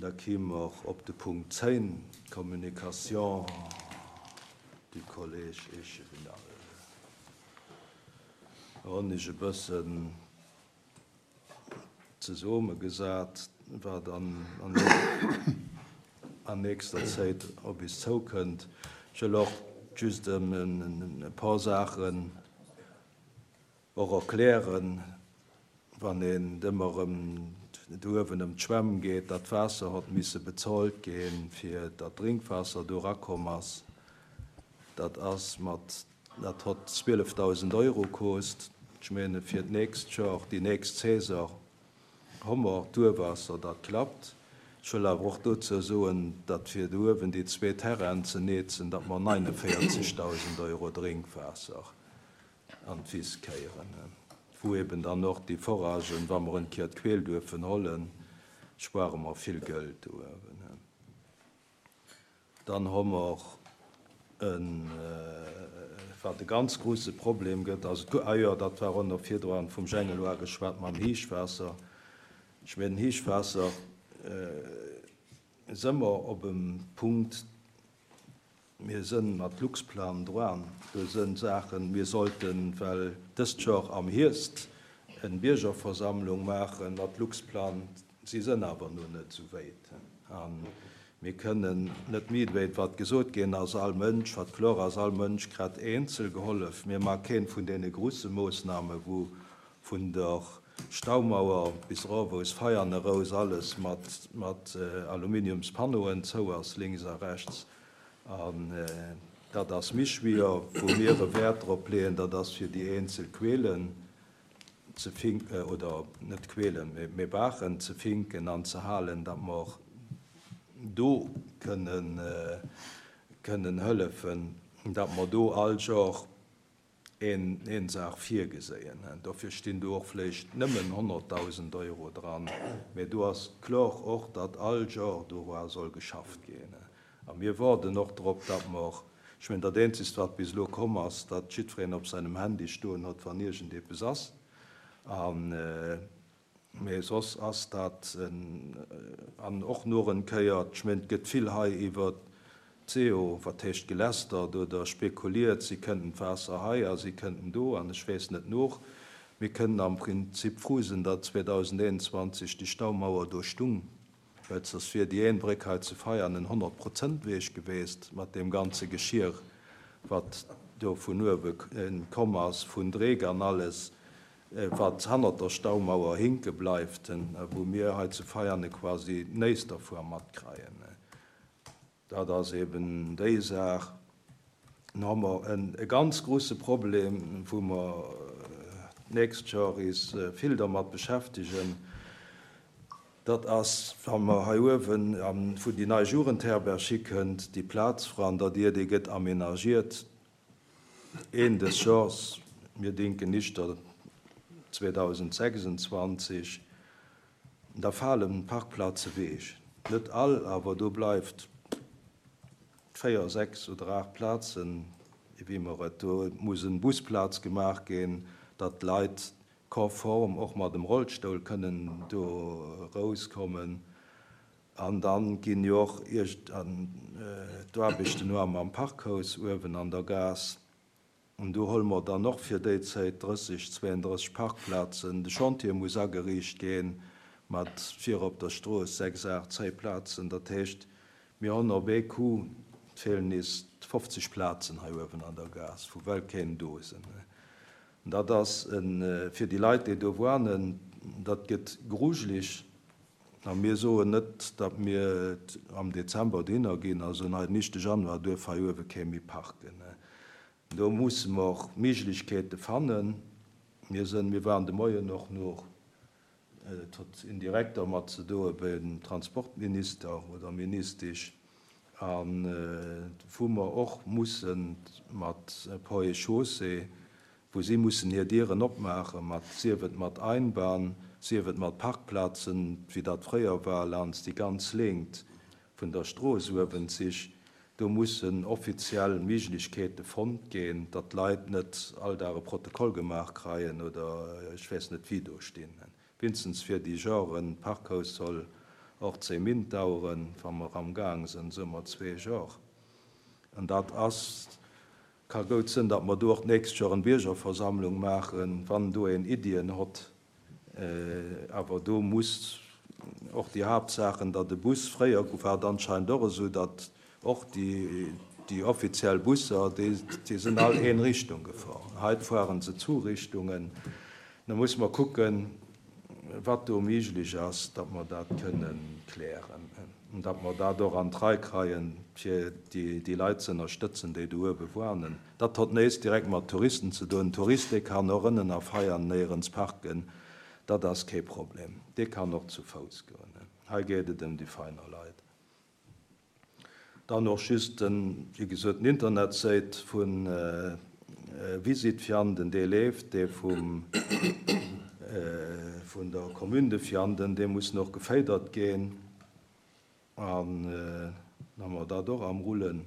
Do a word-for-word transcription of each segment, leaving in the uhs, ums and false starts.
Da kime mer op de Punkt zéng, Communication du Collège échevinal. Hunn ech e bëssen zesummegesat, wat an, an, an nächster Zäit op eis zoukënnt. Ech wëll och just en, en, e puer Saachen och erklären, wann een ëmmer ëm do uewen ëm d'Schwämm geet, dat Waasser huet misse bezuelt ginn, fir dat Drénkwaasser do erakomm ass. Dat ass mat, dat huet zwielefdausend Euro kost. Ech menge fir d'nächst Joer, déi nächst Saison, hu mer d'Urwaasser, dat klappt. Ech wëll awer och dozou soen, datt fir do uewen déi zwee Terrainen ze netzen, datt mer neunundvierzigtausend Euro Drénkwaasser an d'Wiss kéieren, wou eben dann och déi Foragen, wa mer en Kéier d'Quell duerfen hollen, spuere mer vill Geld do uewen. Dann hu mer en, wat e ganz grouse Problem gëtt, also, ah jo, dat war och nach virdrun vum Jengeloir geschwat mam Héichwaasser. Ech mengen, Héichwaasser äh, si mer op em Punkt, mir sinn mat Luxplan dran, do sinn Saachen, mir sollten, well dëst Joer am Hierscht eng Biergerversammlung maachen mat Luxplan, si sinn awer nach net sou wäit. An mir kënnen net méi wéi wat gesot ginn ass, all Mënsch, wat kloer ass, all Mënsch kritt eenzel gehollef. Mir maache keen vun deene grousse Moossname, wou vun der Staumauer bis erof aus Veianen eraus alles mat, mat äh, Aluminiumspanneauen zou ass, lénks a rechts. An äh, dat ass méi schwéier, wou mir e Wäert drop leeën, dat ass fir déi eenzel Quellen ze finken, oder net Quellen, mee, mee Baachen ze finken an ze halen, datt mer do kënnen, äh, kënnen hëllefen, datt mer do all Joer een, een Saach virgesinn. Dofir stinn do och vläicht nëmmen honnertdausend Euro dran. Mee do ass kloer och, datt all Joer do soll geschafft ginn. A mir waarden och drop, datt mer, ech mengen, dat Eenzegt, wat bis elo komm ass, datt jiddwereen op sengem Handy stoen huet, wann iergendeppes ass. An äh, mee soss ass dat en, an och nach eng Kéier, ech mengen, et gëtt vill hei iwwer C O, wat heescht gelästert oder spekuliert, si kënnten d'Waasser hei a si kënnten do an ech weess net nach. Mir kënnen am Prinzip frou sinn, datt zweedausendeenundzwanzeg déi Staumauer do stung, well soss wier déi een Bréck hei zu Veianen en honnert-Prozent-Weg gewiescht mat deem ganze Geschir, wat do vun uewe komm ass, vun Dreck an alles, wat hannert der Staumauer hinke bleift, wou mir hei zu Veiane quasi näischt dervu matkréien. Dat ass eben déi Saach. Dann hu mer en, e ganz grouse Problem, wou mer d'nächst Joer eis vill dermat beschäftegen. Dat ass, wa mer hei uewen, wou déi nei Jugendherberg hikënnt, déi Plaz vrun der Dier, déi gëtt amenagiert. Enn des Joers, mir denken nicht zweedausendsechsundzwanzeg, da falen Parkplaze weg. Net all, awer do bleift véier, sechs oder aacht Plazen, wéi mer et do muss en Busplaz gemaach ginn, datt d'Leit konform och mat dem Rollstull kënnen do rauskommen. An dann ginn jo och iergend an d'Aarbechten no am Parkhaus uewen an der Gaass. An do huele mer dann och fir déi Zäit drësseg, zwouandrësseg Parkplazen. De Chantier muss ageriicht ginn mat vir op der Strooss sechs, aacht, zéng Plazen. Dat heescht, mir hunn op ee Coup feelen nees fofzeg Plazen hei uewen an der Gaass, wou well keen do sinn. Dat ass fir déi Leit, déi do wunnen, dat gëtt grujeleg. A mir soen net, datt mir am Dezember dohinner ginn, also nei nicht de Januar duerf hei uewe kee méi parken. Do musse mer och Méiglechkeete fannen. Mir sinn, mir waren de Moien och nach, et huet indirekt dermat ze doe beim Transportminister oder Ministesch, an wou mer och musse mat Ponts et Chaussées, wou si mussen hir Dieren opmaache mat, sief et mat Einbahn, sief et mat Parkplazen, wéi dat fréier war, laanscht déi ganz Längt vun der Strooss uewen zich. Do mussen offiziell Méiglechkeete fonnt ginn, datt d'Leit net all Dag e Protokoll gemaach kréien oder ech weess net wéi do stinn. Wéinstens fir déi Joren Parkhaus soll Och zéng Min daueren, wa mer am Gaang sinn, soe mer zwee Joer. An dat ass, ka goud sinn, datt mer do och d'nächst Joer en Biergerversammlung maachen, wann do een Iddien hott. Awer do muss och déi Haaptsaachen, datt de Bus, fréier war et anscheinend och esou, datt och déi, déi offiziell Busser, déi, déi sinn all een Richtung gefahr. Heit fueren se zu Richtungen. Da muss mer kucken, wat do méiglech ass, datt mer dat kënnen klären an datt mer dat och an d'Rei kreien, fir déi, déi Leit ze ënnerstëtzen, déi do uewe wuanen. Dat hott näischt direkt mat Touristen ze doen. Tourist, dee kann och ënnen a Veianen néierens parken, dat ass kee Problem. Dee kann och zu Fouss goen. Hei geet et ëm déi feiner Leit. Dann och just den, wéi gesot, den Internetséit vu Visit Vianden, dee leeft, dee vum, vun der Commune de Vianden, dee muss nach geféidert ginn. An dann hu mer dat och am Rullen.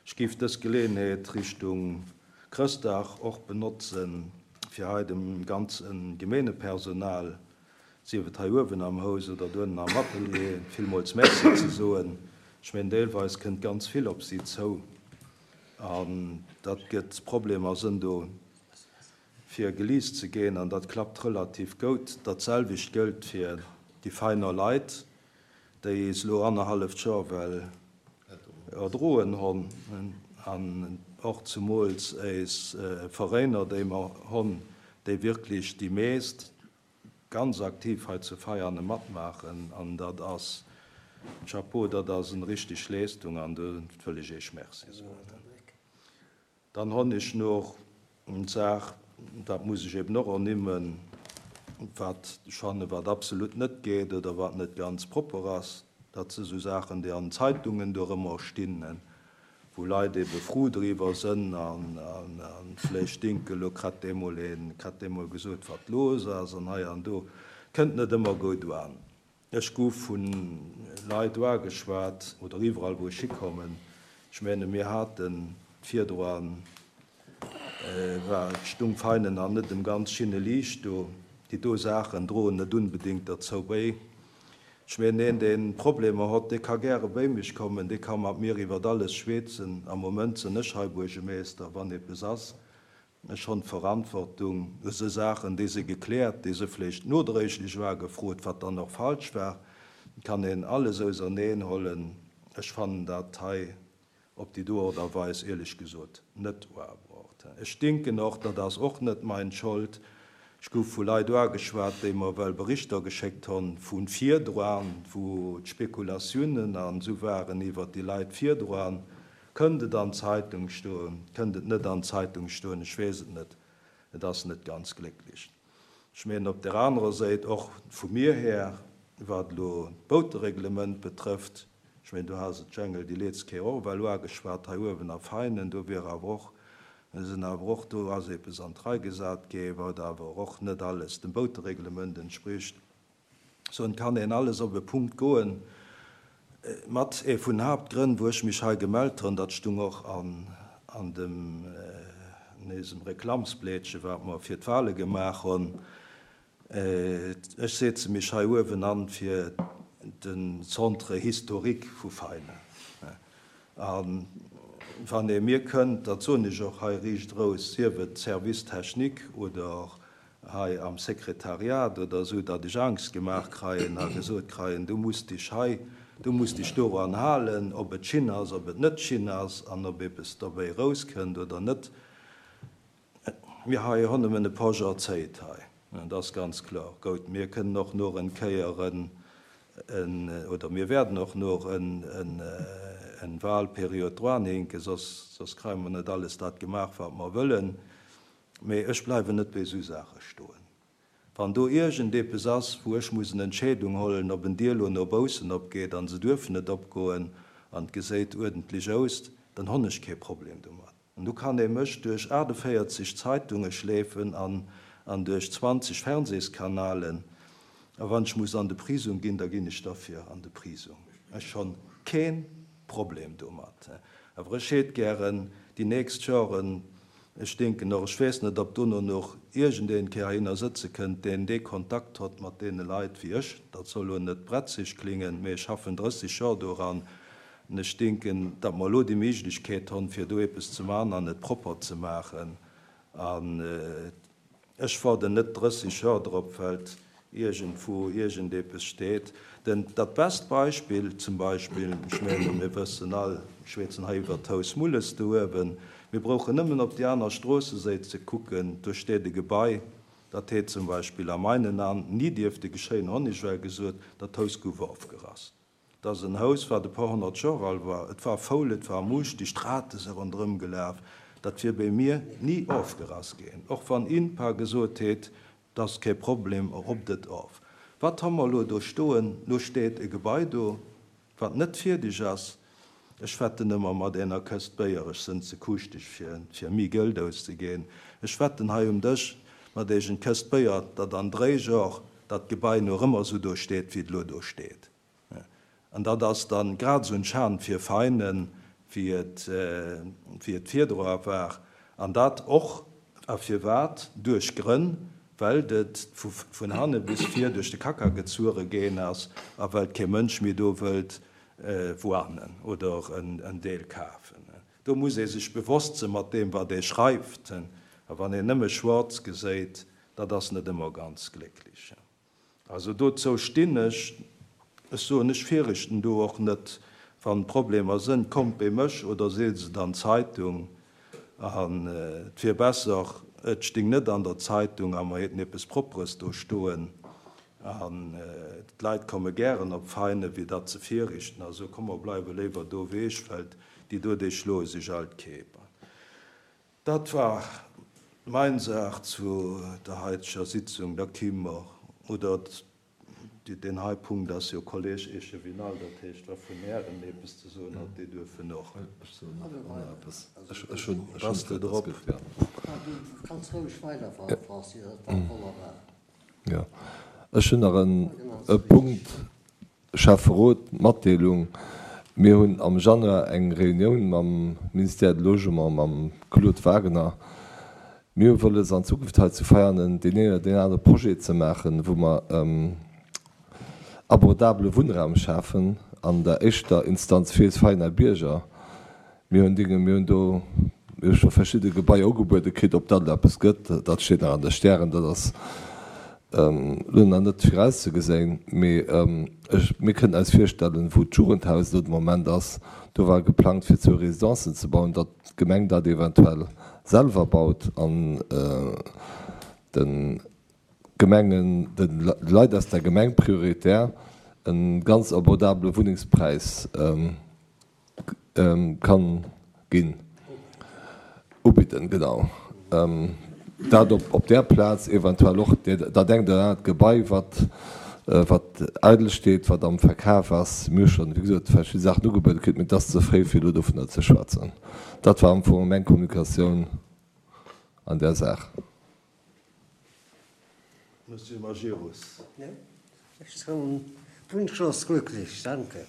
Ech géif dës Geleeënheet Richtung Chrëschtdag och benotzen, fir hei dem ganze Gemeengepersonal, sief et hei uewen am Haus oder donnen am Atelier, villmools Merci ze soen. Ech mengen, deelweis kënnt ganz vill op si zou an dat gëtt Problemer sënn do fir gelies ze ginn an dat klappt relativ goud. Dat selwecht gëllt fir déi feiner Leit, déi es elo annerhalleft Joer well erdroen honn an och zemools eis Veräiner, déi mer honn, déi wierklech déi meest ganz aktiv hei zu Veiane matmaachen an dat ass Chapeau, dat ass en richteg Leestung an do wëll ech Iech Merci soen. Dann honn ech noch eng Saach, dat muss ech eben och ernimmen, wat ech fanne wat absolut net geet oder wat net ganz propper ass, dat si sou Saachen, déi an Zeitungen do ëmmer stinn, wou Leit ebe frou driwwer sënn an vläicht denken, elo kritt dee mol een, kritt dee mol gesot, wat los ass an hei an do. Kënnt net ëmmer gutt un. Ech gouf vu Leit uageschwat, oder iwwerall wou ech hikommen, ech menge mir haten virdroan, war et stung Veinen an net dem ganz schinne Liicht do. Déi do Saachen droen net unbedéngt derzou béi. Ech mengen, een dee Problemer hott, dee ka gäre béi mech kommen, dee ka mat mir iwwert alles schweetzen. Am Moment sinn ech hei Buergermeester, wann eppes ass. Ech hunn d'Verantwortung. Esou Saachen, déi si gekläert, déi si vläicht nodréiglech uagefrot, wat dann och falsch war, kann een alles auserneenhollen. Ech fannen dat hei op déi do Art a Weis éierlech gesot net uabruucht. Ech denken och, dat ass och net mein Schold, ech gouf vu Leit uageschwat, déi mer well Berichter geschéckt honn vu virdroan, wou d'Spekulatiounen an esou waren iwwert déi Leit virdroan. Kënnt et an d'Zeitung stoen, kënnt et net an d'Zeitung stoen, ech weess et net, et ass net ganz glécklech. Ech mengen op der anerer Säit och vu mir här, wat elo d'Boutereglement betrëfft, ech mengen do has et d'Jengel déi leetz Kéier och ewell uageschwat hei uewen a Veinen, do wier awer och, sinn awer och, do ass eppes an d'Rei gesat gi wat awer och net alles dem Boutereglement entspricht. Sou et kann een alles op e Punkt goen. Mat ee vun Haaptgrënn, wou ech mech hei gemellt hunn, dat stung och an an dem an eisem Reklammsblädche wat mer fir d'Wahle gemaach hunn, ech setze mech hei uewen an fir de Centre historique vu Veinen. A wann ee mir kënnt, dat soen ech och hei riicht eraus, sief et Service technique oder hei am Sekretariat oder esou, datt ech Angst gemaach kreien a gesot kreien, du muss dech hei, du muss dech doran halen, ob et schin ass, ob et net schin ass an ob eppes dobäi erauskënnt oder net. Mir hei hunn nëmmen e paar Joer Zäit hei, dat ass ganz kloer. Goud, mir kënnen och nur en Kéier en, en, oder mir werden och nur en, en, en Wahlperiod dranhinken, soss, soss kreie mer net alles dat gemaach, wat mer wëllen. Mee ech bleiwen net bei esou Saache stoen. Wann do iergendeppes ass, wou ech muss en Entscheedung hollen, ob en Dier lo no baussen opgeet an se duerfen net opgoen an et geséit uerdentlech aus, dann honn ech kee Problem domat. An du kann ee mech duerch achtundvéierzeg Zeitunge schleefen an an duerch zwanzeg Fernsehskanalen, a wann ech muss an de Prisong ginn, da ginn ech derfir an de Prisong. Ech honn kee Problem domat. Awer ech hätt gären déi nächst Joren Ech denken och, ech weess net, ob dono nach iergendeen Kéier heihinner sëtze kënnt, deen dee Kontakt hott mat deene Leit wéi ech. Dat soll elo net bretzeg klingen, mee ech schaffen drësseg Joer doran an ech denken, datt mer elo déi Méiglechkeet honn, fir do eppes ze man an et propper ze maachen. An ech waarden net drësseg Joer drop, well iergendwou iergendepes steet. Den, dat best Beispill zum Beispill, ech menge mir wëssen all, schwätzen hei iwwer d'Haus Mulles do uewen, mir brauchen nëmmen op déi aner Stroossesäit ze kucken, do steet e Gebai, dat hätt zum Beispill a meinen An ni dierfte geschéien, honn ech well gesot, dat Haus gouf ofgerass. Dat ass en Haus, wat e puer honnert Joer al war, et war faul, et war muuschteg, d'Rate si ronderëm gelaf, dat wier bei mir ni ofgerass ginn, och wann INPA gesot hätt, dat ass kee Problem, robbt et of. Wat hu mer elo do stoen? Lo steet e Gebai do, wat net fierdeg ass. Ech wetten ëmmer mat enger Këscht Béier, ech sënn ze kuuschteg fir, fir méi Geld auszeginn. Ech wetten hei um Dësch mat iech eng Këscht Béier, datt an dräi Joer dat Gebai nach ëmmer sou do steet, wéi et elo do steet. An dat ass dann grad esou en Schan fir Veinen, wéi et, wéi et virdru war. An dat och, a firwat? Duerch Grënn, well et vu, vun hanne bis vir duerch de Kacka gezuere ginn ass a well kee Mënsch méi do wëllt wuanen oder en, en Deel kafen. Do muss ee sech bewosst sinn mat deem, wat ee schreift. A wann een nëmme schwaarz geséit, dat ass net ëmmer ganz glécklech. Also dozou stinn ech. Ech soen, ech fierchten do och net, wann Problemer sënn, kommt bei mech oder seet se an d'Zeitung. An et wier besser, et sting net an der Zeitung a mer hätten eppes Propperes do stoen. An d'Leit komme gären op Veinen, wéi dat ze fierchten. Also komm mer bleiwe léiwer do ewech, well déi do, déi schloe sech all d'Kéip. Dat war mein Saach zu der heiteger Sitzung. Da ki mer, oder deen hei Punkt ass jo Kolleg Echevinal, dat heescht, wa vun Ären eppes ze soen hat, déi duerfen och. Ech soen nach och eppes. Ech hunn Bass de drop? Ja. Du kanns roueg weiderfueren, Francis, dat war wonnerbar. Jo. Ech hunn nach en e Punkt, Schäfferot, Matdeelung. Mir hunn am Januar eng Reunioun mam Ministère de Logement, mam Claude Wagener. Mir hu wëlles an Zukunft hei zu Veianen deen een oder deen anere Projet ze maachen, wou mer abordabele Wunnraum schafen, an der éischter Instanz fir eis Veianer Bierger. Mir hunn Dinge, mir hunn do, mir hu scho verschidde Gebaier ugebuede kritt, ob dat elo eppes gëtt, dat steet nach an de Stären, dat ass elo nach net virauszegeséin. Mee ech, mir kënnen eis virstellen, wou d'Jugendhaus elo de Moment ass, do war geplangt fir zwou Residencen ze bauen, datt d'Gemeng dat eventuell selwer baut an de Gemengen, de Leit aus der Gemeng prioritär e ganz abordabele Wunnengspräis kann ginn, ubidden, genau. Dat op där Plaz, eventuell och dat engt oder anert Gebai, wat wat eidel steet, wat am Verkaf ass. Mir hu schonn, wéi gesot, verschidde Saachen ugebuede kritt, mee et ass ze fréi, fir elo dovunner ze schwätzen. Dat war am Fong meng Kommunikatioun an där Saach. Monsieur Majerus. Ja, ech soen wunschlos glücklich, danke.